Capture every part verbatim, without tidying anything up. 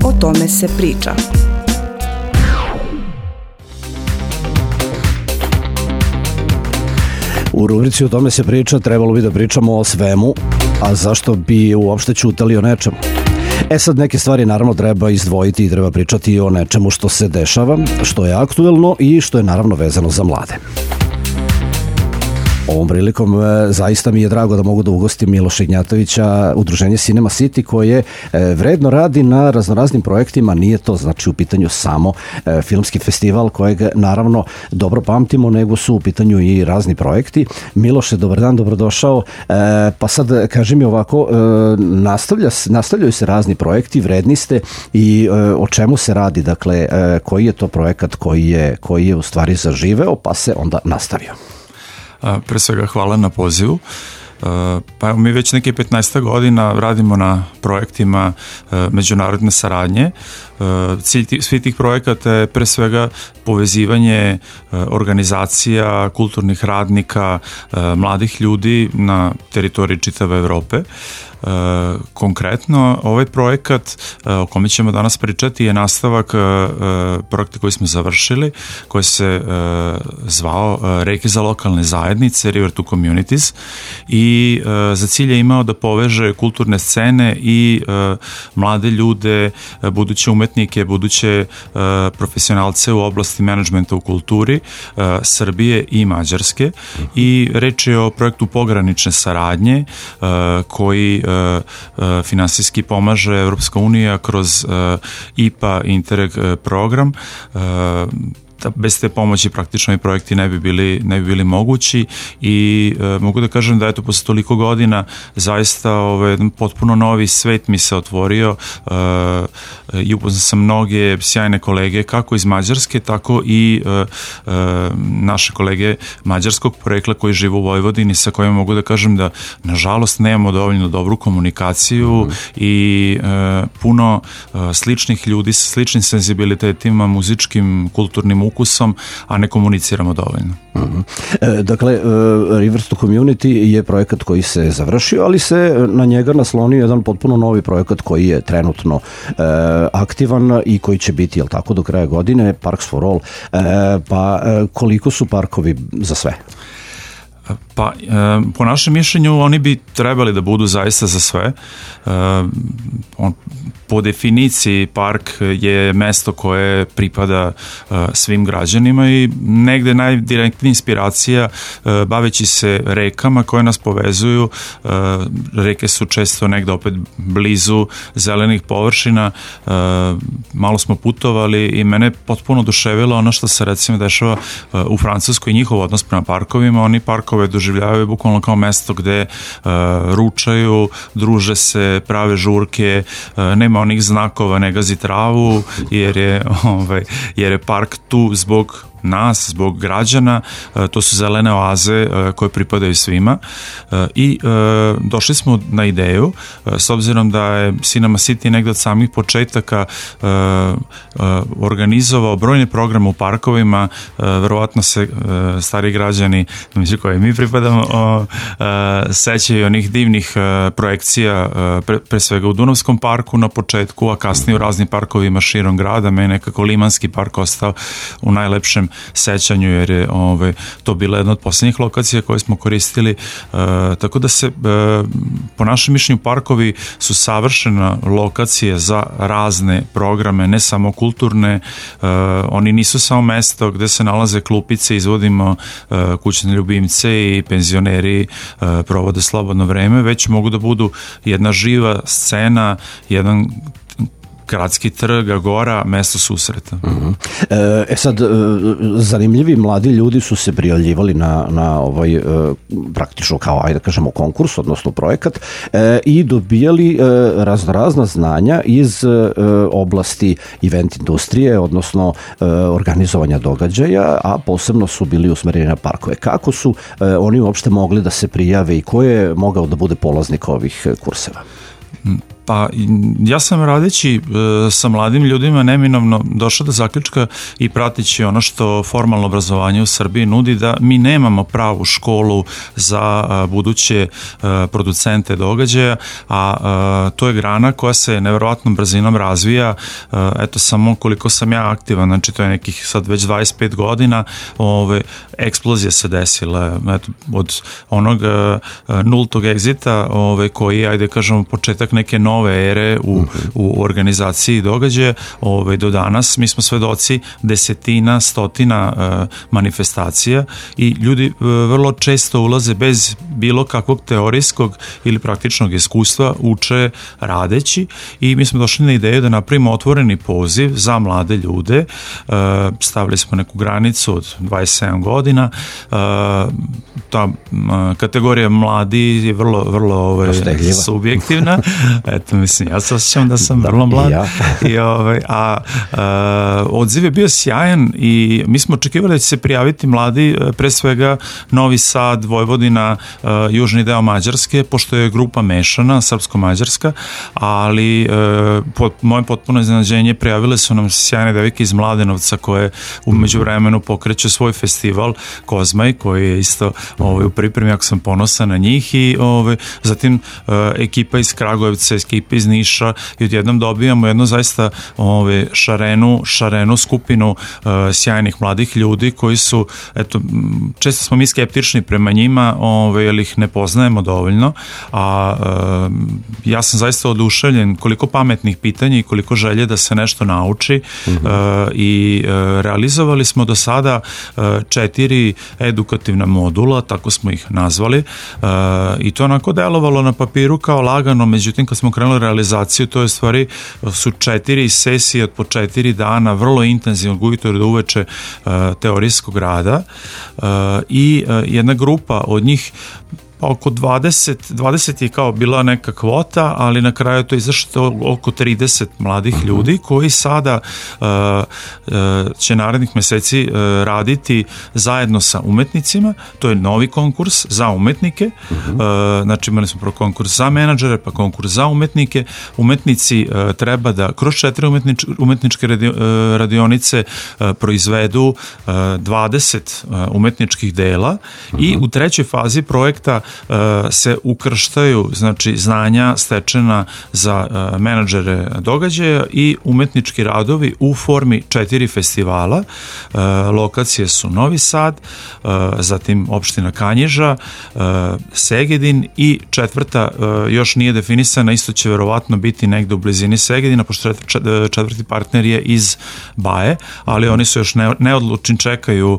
O tome se priča. U rubrici O tome se priča trebalo bi da pričamo o svemu, a zašto bi uopšte ćutali o nečemu? E sad, neke stvari naravno treba izdvojiti i treba pričati o nečemu što se dešava, što je aktuelno i što je naravno vezano za mlade. Ovom prilikom e, zaista mi je drago da mogu da ugostim Miloša Ignjatovića, udruženje Cinema City, koje e, vredno radi na raznoraznim projektima. Nije to znači u pitanju samo e, filmski festival kojeg naravno dobro pamtimo, nego su u pitanju i razni projekti. Miloše, dobar dan, dobrodošao. E, pa sad kaži mi ovako, e, nastavlja, nastavljaju se razni projekti, vredni ste i e, o čemu se radi? Dakle, e, koji je to projekat koji je, koji je u stvari zaživeo pa se onda nastavio? Pre svega hvala na pozivu. Pa evo, mi već neke petnaest godina radimo na projektima međunarodne saradnje. Cilj svih tih projekata je pre svega povezivanje organizacija, kulturnih radnika, mladih ljudi na teritoriji čitave Evrope. Uh, konkretno, ovaj projekat uh, o kome ćemo danas pričati je nastavak uh, projekta koji smo završili, koji se uh, zvao uh, Reke za lokalne zajednice, River to Communities, i uh, za cilj je imao da poveže kulturne scene i uh, mlade ljude, uh, buduće umetnike, buduće uh, profesionalce u oblasti menadžmenta u kulturi uh, Srbije i Mađarske. I reč je o projektu pogranične saradnje uh, koji finansijski pomaže Evropska unija kroz I P A Interreg program. Bez te pomoći praktično i projekti ne bi bili, ne bi bili mogući i e, mogu da kažem da eto posle toliko godina zaista ovaj, jedan potpuno novi svet mi se otvorio e, i upoznao sam mnoge sjajne kolege kako iz Mađarske, tako i e, e, naše kolege mađarskog porekla koji žive u Vojvodini, sa kojima mogu da kažem da nažalost nemamo dovoljno dobru komunikaciju mm. i e, puno e, sličnih ljudi sa sličnim senzibilitetima, muzičkim, kulturnim ukusom, a ne komuniciramo dovoljno. Uh-huh. E, dakle, River to Community je projekat koji se završio, ali se na njega naslonio jedan potpuno novi projekat koji je trenutno e, aktivan i koji će biti, jel tako, do kraja godine, Parks for All. E, pa e, koliko su parkovi za sve? Pa, e, po našem mišljenju oni bi trebali da budu zaista za sve. E, on, po definiciji park je mesto koje pripada e, svim građanima i negde najdirektnija inspiracija e, baveći se rekama koje nas povezuju. E, reke su često negde opet blizu zelenih površina. E, malo smo putovali i mene potpuno oduševilo ono što se recimo dešava e, u Francuskoj, njihov odnos prema parkovima. Oni parkove doživljavaju bukvalno kao mesto gde uh, ručaju, druže se, prave žurke, uh, nema onih znakova, ne gazi travu, jer je, ovaj, jer je park tu zbog nas, zbog građana, to su zelene oaze koje pripadaju svima i došli smo na ideju, s obzirom da je Cinema City negde od samih početaka organizovao brojne programe u parkovima, verovatno se stari građani, među koje mi pripadamo, sećaju onih divnih projekcija, pre, pre svega u Dunavskom parku na početku, a kasnije u raznim parkovima širom grada. Meni nekako Limanski park ostao u najlepšem sećanju, jer je ovaj, to bila jedna od posljednjih lokacija koje smo koristili, e, tako da se e, po našem mišljenju parkovi su savršena lokacija za razne programe, ne samo kulturne, e, oni nisu samo mesto gde se nalaze klupice, izvodimo e, kućne ljubimce i penzioneri e, provode slobodno vreme, već mogu da budu jedna živa scena, jedan gradski trg, agora, mesto susreta. Uh-huh. E sad, zanimljivi mladi ljudi su se prijavljivali na, na ovaj praktično kao, ajde da kažemo, konkurs, odnosno projekat, e, i dobijali e, razno razna znanja iz e, oblasti event industrije, odnosno e, organizovanja događaja, a posebno su bili usmereni na parkove. Kako su e, oni uopšte mogli da se prijave i ko je mogao da bude polaznik ovih kurseva? Pa ja sam radeći sa mladim ljudima neminovno došao do zaključka i pratići ono što formalno obrazovanje u Srbiji nudi, da mi nemamo pravu školu za buduće producente događaja, a to je grana koja se neverovatnom brzinom razvija. Eto, samo koliko sam ja aktivan, znači to je nekih sad već dvadeset pet godina, ove, eksplozija se desila, eto, od onog nultog egzita, ove, koji, ajde kažemo, početak neke nove ere u, u organizaciji događaja, ove, do danas mi smo svedoci desetina, stotina e, manifestacija i ljudi e, vrlo često ulaze bez bilo kakvog teorijskog ili praktičnog iskustva, uče radeći, i mi smo došli na ideju da napravimo otvoreni poziv za mlade ljude. E, stavili smo neku granicu od dvadeset sedam godina. E, ta e, kategorija mladi je vrlo, vrlo ove, subjektivna. Eto, mislim, ja se osjećam da sam da, vrlo mlad. Ja. I, ove, a, a odziv je bio sjajan i mi smo očekivali da će se prijaviti mladi, pre svega Novi Sad, Vojvodina, a, južni deo Mađarske, pošto je grupa mešana, srpsko-mađarska, ali a, pod, moje potpuno iznenađenje, prijavile su nam sjajne devike iz Mladenovca koje u međuvremenu pokreću svoj festival Kozmaj, koji je isto ove, u pripremi, ako sam ponosan na njih, i ove, zatim a, ekipa iz Kragujevca, ekipa iz Niša, i odjednom dobijamo jednu zaista ove, šarenu, šarenu skupinu uh, sjajnih mladih ljudi koji su, eto, često smo mi skeptični prema njima, ove, jer ih ne poznajemo dovoljno, a uh, ja sam zaista oduševljen koliko pametnih pitanja i koliko želje da se nešto nauči. Mm-hmm. uh, i uh, realizovali smo do sada uh, četiri edukativna modula, tako smo ih nazvali, uh, i to onako delovalo na papiru kao lagano, međutim kad smo krenuli realizaciju, to je stvari su četiri sesije od po četiri dana, vrlo intenzivno, od ujutro do uveče uh, teorijskog rada, uh, i uh, jedna grupa od njih, oko dvadeset, dvadeset je kao bila neka kvota, ali na kraju to je izašlo oko trideset mladih ljudi koji sada uh, uh, će narednih meseci uh, raditi zajedno sa umetnicima. To je novi konkurs za umetnike. Uh, znači imali smo prvo konkurs za menadžere, pa konkurs za umetnike. Umetnici uh, treba da kroz četiri umetnič, umetničke radio, uh, radionice uh, proizvedu uh, dvadeset uh, umetničkih dela, i u trećoj fazi projekta se ukrštaju, znači, znanja stečena za menadžere događaja i umetnički radovi u formi četiri festivala. Lokacije su Novi Sad, zatim opština Kanjiža, Segedin, i četvrta još nije definisana, isto će verovatno biti negde u blizini Segedina, pošto četvrti partner je iz Baje, ali oni su još neodlučni, čekaju,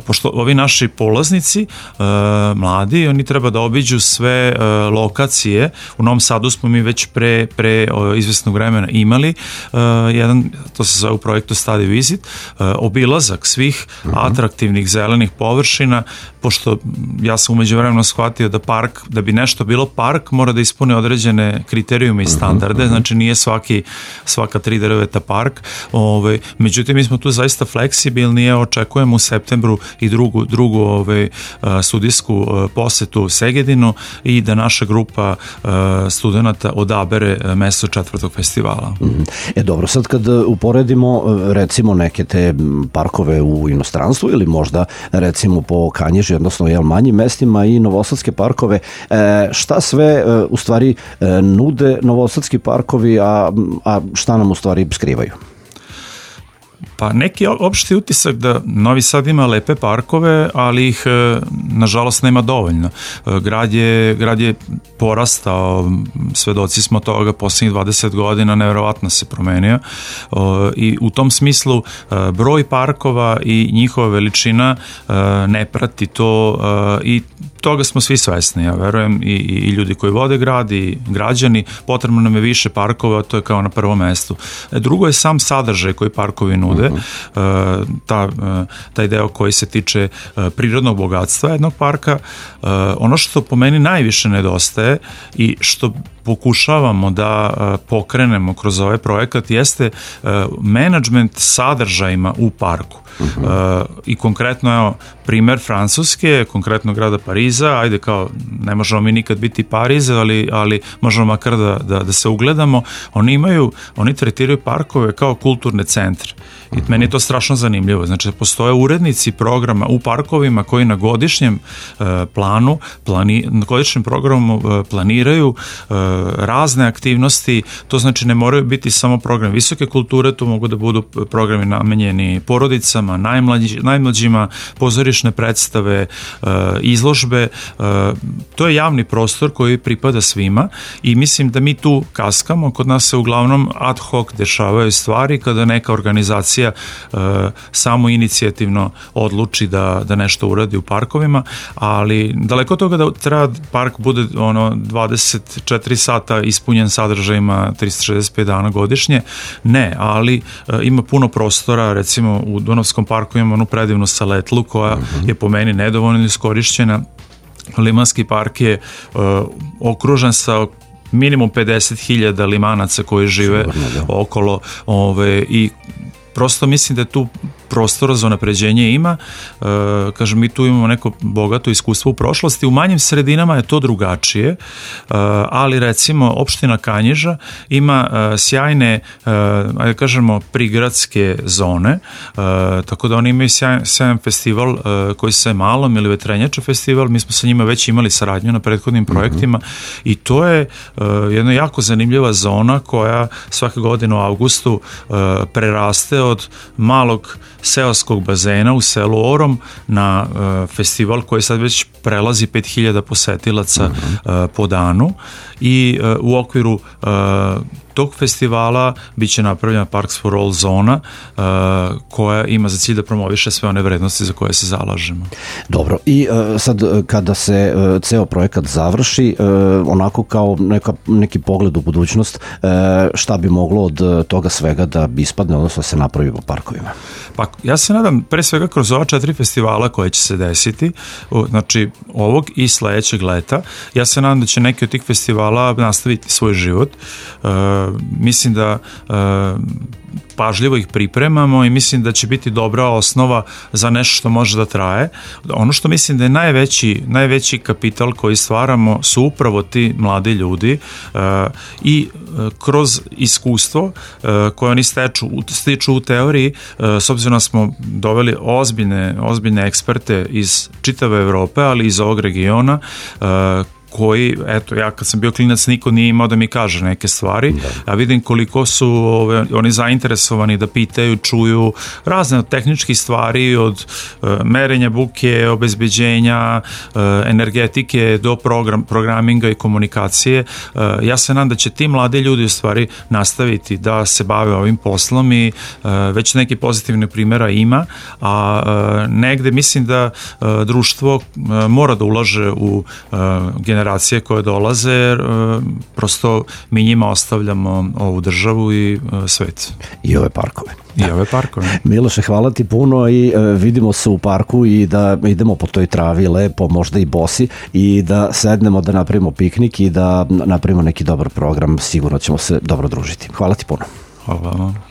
pošto ovi naši polaznici mladi, oni treba da obiđu sve uh, lokacije. U Novom Sadu smo mi već pre, pre uh, izvesnog vremena imali uh, jedan, to se zove u projektu Study Visit, uh, obilazak svih uh-huh. atraktivnih zelenih površina, pošto ja sam umeđu vremena shvatio da park, da bi nešto bilo park, mora da ispuni određene kriterijume i standarde, uh-huh. znači nije svaki, svaka tri drveta park. Ove, međutim, mi smo tu zaista fleksibilni, ja očekujem u septembru i drugu, drugu ove, studijsku posetu Segedinu, i da naša grupa uh, studenta odabere mesto četvrtog festivala. E dobro, sad kad uporedimo recimo neke te parkove u inostranstvu ili možda recimo po Kanjiži, odnosno jel, manjim mestima, i novosadske parkove, e, šta sve e, u stvari e, nude novosadski parkovi, a, a šta nam u stvari skrivaju? Pa neki opšti utisak da Novi Sad ima lepe parkove, ali ih nažalost nema dovoljno. Grad je, grad je porastao, svedoci smo toga poslednjih dvadeset godina, neverovatno se promenio, i u tom smislu broj parkova i njihova veličina ne prati to, i toga smo svi svesni, ja verujem, i, i ljudi koji vode grad i građani. Potrebno nam je više parkova, to je kao na prvom mestu. Drugo je sam sadržaj koji parkovi nude, uh-huh. ta, taj deo koji se tiče prirodnog bogatstva jednog parka. Ono što po meni najviše nedostaje i što pokušavamo da pokrenemo kroz ovaj projekat jeste menadžment sadržajima u parku. Uh-huh. Uh, i konkretno evo primer Francuske, konkretno grada Pariza, ajde kao ne možemo mi nikad biti Pariz, ali, ali možemo makar da, da, da se ugledamo. Oni imaju, oni tretiraju parkove kao kulturne centre i uh-huh. meni je to strašno zanimljivo. Znači postoje urednici programa u parkovima koji na godišnjem uh, planu plani, na godišnjem programu uh, planiraju uh, razne aktivnosti, to znači ne moraju biti samo program visoke kulture, to mogu da budu programi namenjeni porodicama, Najmlađi, najmlađima, pozorišne predstave, e, izložbe. E, to je javni prostor koji pripada svima i mislim da mi tu kaskamo. Kod nas se uglavnom ad hoc dešavaju stvari kada neka organizacija e, samo inicijativno odluči da, da nešto uradi u parkovima, ali daleko od toga da treba park bude ono dvadeset četiri sata ispunjen sadržajima tristo šezdeset pet dana godišnje. Ne, ali e, ima puno prostora, recimo u Dunavskom parku imamo onu predivnu saletlu koja uh-huh. je po meni nedovoljno iskorišćena. Limanski park je uh, okružen sa minimum pedeset hiljada limanaca koji žive Sigurno, okolo ove, i prosto mislim da je tu prostora za unapređenje ima. E, kažem, mi tu imamo neko bogato iskustvo u prošlosti. U manjim sredinama je to drugačije, e, ali recimo opština Kanjiža ima e, sjajne, e, ajde kažemo, prigradske zone, e, tako da oni imaju sjajan, sjajan festival e, koji se Malom ili Vetrenjača festival, mi smo sa njima već imali saradnju na prethodnim projektima mm-hmm. i to je e, jedna jako zanimljiva zona koja svake godine u avgustu e, preraste od malog seoskog bazena u selu Orom na uh, festival koji sad već prelazi pet hiljada posetilaca uh-huh. uh, po danu i uh, u okviru uh, tog festivala bit će napravljena Parks for All zona uh, koja ima za cilj da promoviše sve one vrednosti za koje se zalažemo. Dobro, i uh, sad kada se uh, ceo projekat završi, uh, onako kao neka, neki pogled u budućnost, uh, šta bi moglo od toga svega da bi ispadne, odnosno da se napravi po parkovima? Pa ja se nadam pre svega kroz ova četiri festivala koje će se desiti, znači ovog i sledećeg leta, ja se nadam da će neki od tih festivala nastaviti svoj život. Uh, mislim da uh, pažljivo ih pripremamo i mislim da će biti dobra osnova za nešto što može da traje. Ono što mislim da je najveći, najveći kapital koji stvaramo su upravo ti mladi ljudi uh, i uh, kroz iskustvo uh, koje oni steču, stiču u teoriji, uh, s obzirom da smo doveli ozbiljne, ozbiljne eksperte iz čitave Evrope, ali iz ovog regiona, uh, koji, eto, ja kad sam bio klinac niko nije imao da mi kaže neke stvari, da. Ja vidim koliko su ove, oni zainteresovani da pitaju, čuju razne od tehničkih stvari, od uh, merenja buke, obezbeđenja, uh, energetike do program, programinga i komunikacije. Uh, ja se nadam da će ti mladi ljudi u stvari nastaviti da se bave ovim poslom i uh, već neki pozitivne primjera ima, a uh, negde mislim da uh, društvo uh, mora da ulaže u uh, generacije koje dolaze, jer uh, prosto mi njima ostavljamo ovu državu i uh, svet. I ove parkove. I ove parkove. Miloše, hvala ti puno i uh, vidimo se u parku i da idemo po toj travi lepo, možda i bosi, i da sednemo da napravimo piknik i da napravimo neki dobar program. Sigurno ćemo se dobro družiti. Hvala ti puno. Hvala vam.